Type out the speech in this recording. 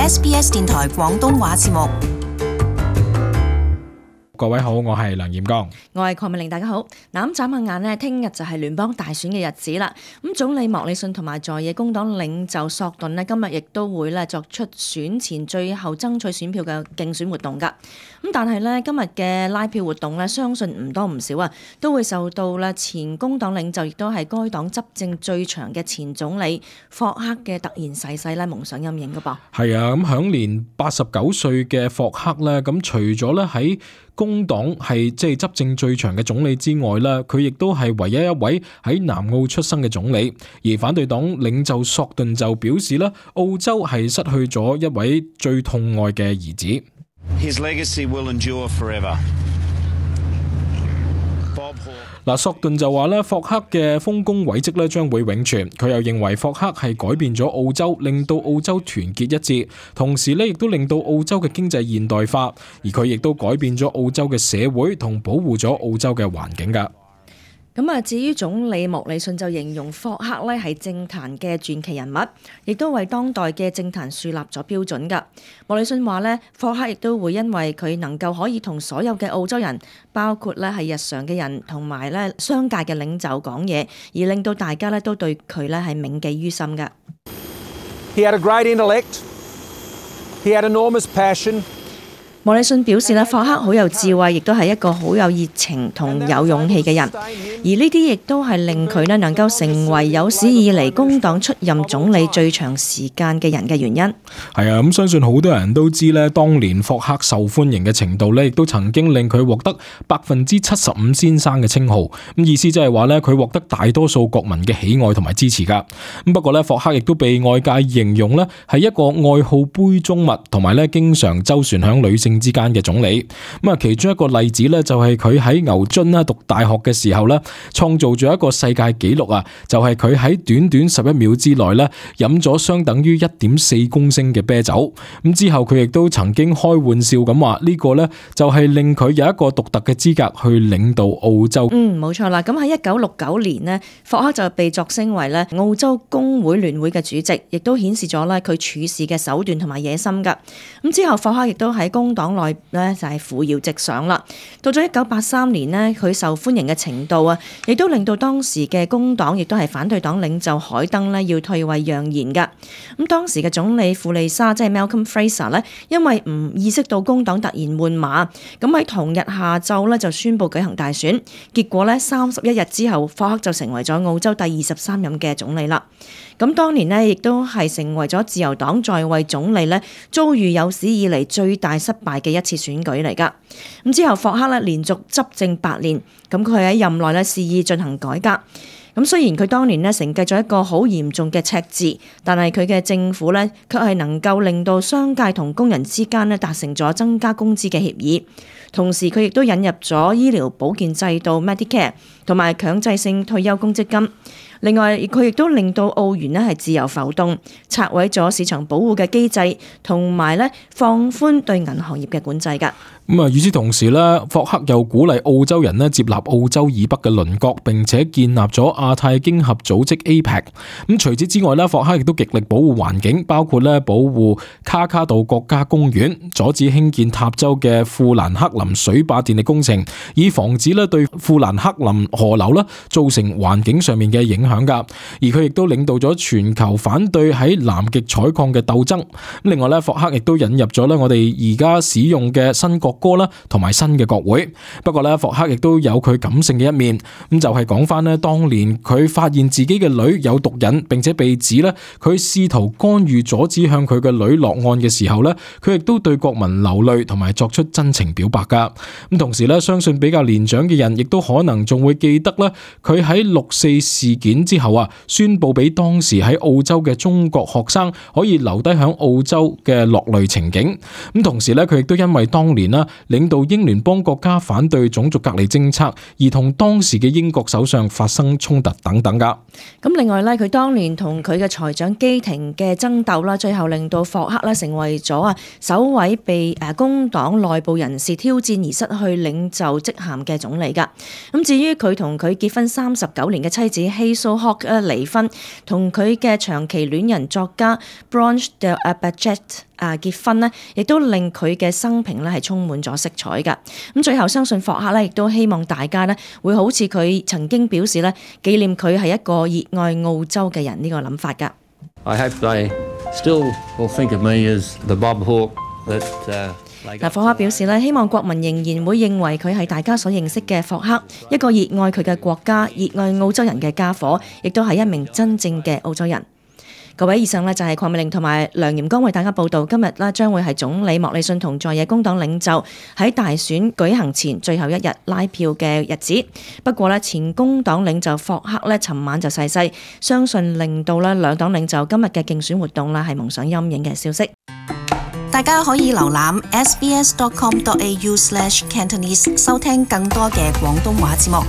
SBS 電台廣東話節目。各位好，我係梁彥剛，我係鄺美玲，大家好。嗱，咁眨下眼呢，聽日就係聯邦大選嘅日子啦。咁總理莫里遜同埋在野工黨領袖索頓呢，今日亦都會咧作出選前最後爭取選票嘅競選活動噶。咁但係呢，今日嘅拉票活動呢，相信唔多唔少啊，都會受到咧前工黨領袖亦都係該黨執政最長嘅前總理霍克嘅突然逝世咧蒙上陰影噶噃。係啊，咁享年89歲嘅霍克咧，咁除咗咧喺工黨係即係執政最長嘅總理之外咧，佢亦都係唯一一位喺南澳出生嘅總理。而反對黨領袖索頓就表示咧，澳洲係失去咗一位最痛愛嘅兒子。His legacy will endure forever. 嗱，索頓就話咧，霍克嘅豐功偉績咧將會永存。佢又認為霍克係改變咗澳洲，令到澳洲團結一致，同時咧亦都令到澳洲嘅經濟現代化，而佢亦都改變咗澳洲嘅社會同保護咗澳洲嘅環境㗎。咁啊，至於總理莫里遜就形容霍克咧係政壇嘅傳奇人物，亦都為當代嘅政壇樹立咗標準㗎。莫里遜話咧，霍克亦都會因為佢能夠可以同所有嘅澳洲人，包括咧係日常嘅人同埋咧商界嘅領袖講嘢，而令到大家咧都對佢咧係銘記於心㗎。He had a great intellect. He had enormous passion. 莫里遜表示咧，霍克好有智慧，亦都係一個好有熱情同有勇氣嘅人，而呢啲亦都係令佢咧能夠成為有史以嚟工黨出任總理最長時間嘅人嘅原因。係啊，咁相信好多人都知咧，當年霍克受歡迎嘅程度咧，亦都曾經令佢獲得75%先生嘅稱號。咁意思即係話咧，佢獲得大多數國民嘅喜愛同埋支持噶。咁不過咧，霍克亦都被外界形容咧係一個愛好杯中物，同埋咧經常周旋響女性之間嘅總理。咁啊，其中一個例子咧就係佢喺牛津啦讀大學嘅時候咧，創造咗一個世界紀錄啊！就係佢喺短短11秒之內咧飲咗相等於1.4公升嘅啤酒。咁之後佢亦都曾經開玩笑咁話呢個咧就係令佢有一個獨特嘅資格去領導澳洲。冇錯啦。咁喺1969年呢，霍克就被擢升為咧澳洲工會聯會嘅主席，亦都顯示咗咧佢處事嘅手段同埋野心噶。咁之後霍克亦都喺工黨內咧就係扶搖直上啦。到咗1983年呢，佢受歡迎嘅程度啊，亦都令到當時嘅工黨亦都係反對黨領袖海登呢要退位讓賢噶。咁當時嘅總理庫利沙即係 Malcolm Fraser 呢，因為唔意識到工黨突然換馬，咁喺同日下晝呢就宣布舉行大選，結果呢31日之後，霍克就成為咗澳洲第23任嘅總理啦。咁當年呢，亦都係成為咗自由黨在位總理呢遭遇有史以嚟最大失敗嘅一次選舉嚟噶。咁之後霍克呢連續執政8年，咁佢喺任內呢肆意進行改革。咁雖然佢當年呢承繼咗一個好嚴重嘅赤字，但係佢嘅政府呢卻係能夠令到商界同工人之間呢達成咗增加工資嘅協議。同時佢亦都引入咗醫療保健制度 Medicare 同埋強制性退休公積金。另外，佢亦都令到澳元呢係自由浮動，拆毀咗市場保護嘅機制，同埋呢放寬對銀行業嘅管制㗎。咁啊，與此同時咧，霍克又鼓勵澳洲人咧接納澳洲以北嘅鄰國，並且建立咗亞太經合組織 APEC。咁除此之外咧，霍克亦都極力保護環境，包括咧保護卡卡杜國家公園，阻止興建塔州嘅富蘭克林水壩電力工程，以防止咧對富蘭克林河流咧造成環境上面嘅影響噶。而佢亦都領導咗全球反對喺南極採礦嘅鬥爭。另外咧，霍克亦都引入咗咧我哋而家使用嘅新國歌啦，同埋新嘅國會。不過咧，霍克亦都有佢感性嘅一面，咁就係講翻咧，當年佢發現自己嘅女有毒癮，並且被指咧佢試圖干預阻止向佢嘅女落案嘅時候咧，佢亦都對國民流淚，同埋作出真情表白噶。咁同時咧，相信比較年長嘅人亦都可能仲會記得咧，佢喺6·4事件之後啊，宣布俾當時喺澳洲嘅中國學生可以留低響澳洲嘅落淚情景。咁同時咧，佢亦都因為當年啦領導英聯邦國家反對種族隔離政策，而同當時嘅英國首相發生衝突等等噶。咁另外咧，佢當年同佢嘅財長基廷嘅爭鬥啦，最後令到霍克咧成為咗首位被工黨內部人士挑戰而失去領袖職銜嘅總理噶。咁至於佢同佢結婚39年嘅妻子希數學離婚，同佢嘅長期戀人作家 Blanche de Bagatte 結婚呢，亦都令佢嘅生平咧係充滿咗色彩㗎。咁最後相信霍克咧，亦都希望大家咧會好似佢曾經表示咧，紀念佢係一個熱愛澳洲嘅人呢個諗法㗎。I hope they still will think of me as the Bob Hawke that嗱，霍克表示咧，希望國民仍然會認為佢係大家所認識嘅霍克，一個熱愛佢嘅國家、熱愛澳洲人嘅家伙，亦都係一名真正嘅澳洲人。各位，以上呢就係鄺美玲同埋梁炎光為大家報道。今日呢將會係總理莫里遜同在野工黨領袖喺大選舉行前最後一日拉票嘅日子。不過呢，前工黨領袖霍克呢尋晚就逝世，相信令到呢兩黨領袖今日嘅競選活動呢係蒙上陰影嘅消息。大家可以瀏覽 sbs.com.au/Cantonese 收聽更多嘅廣東話節目。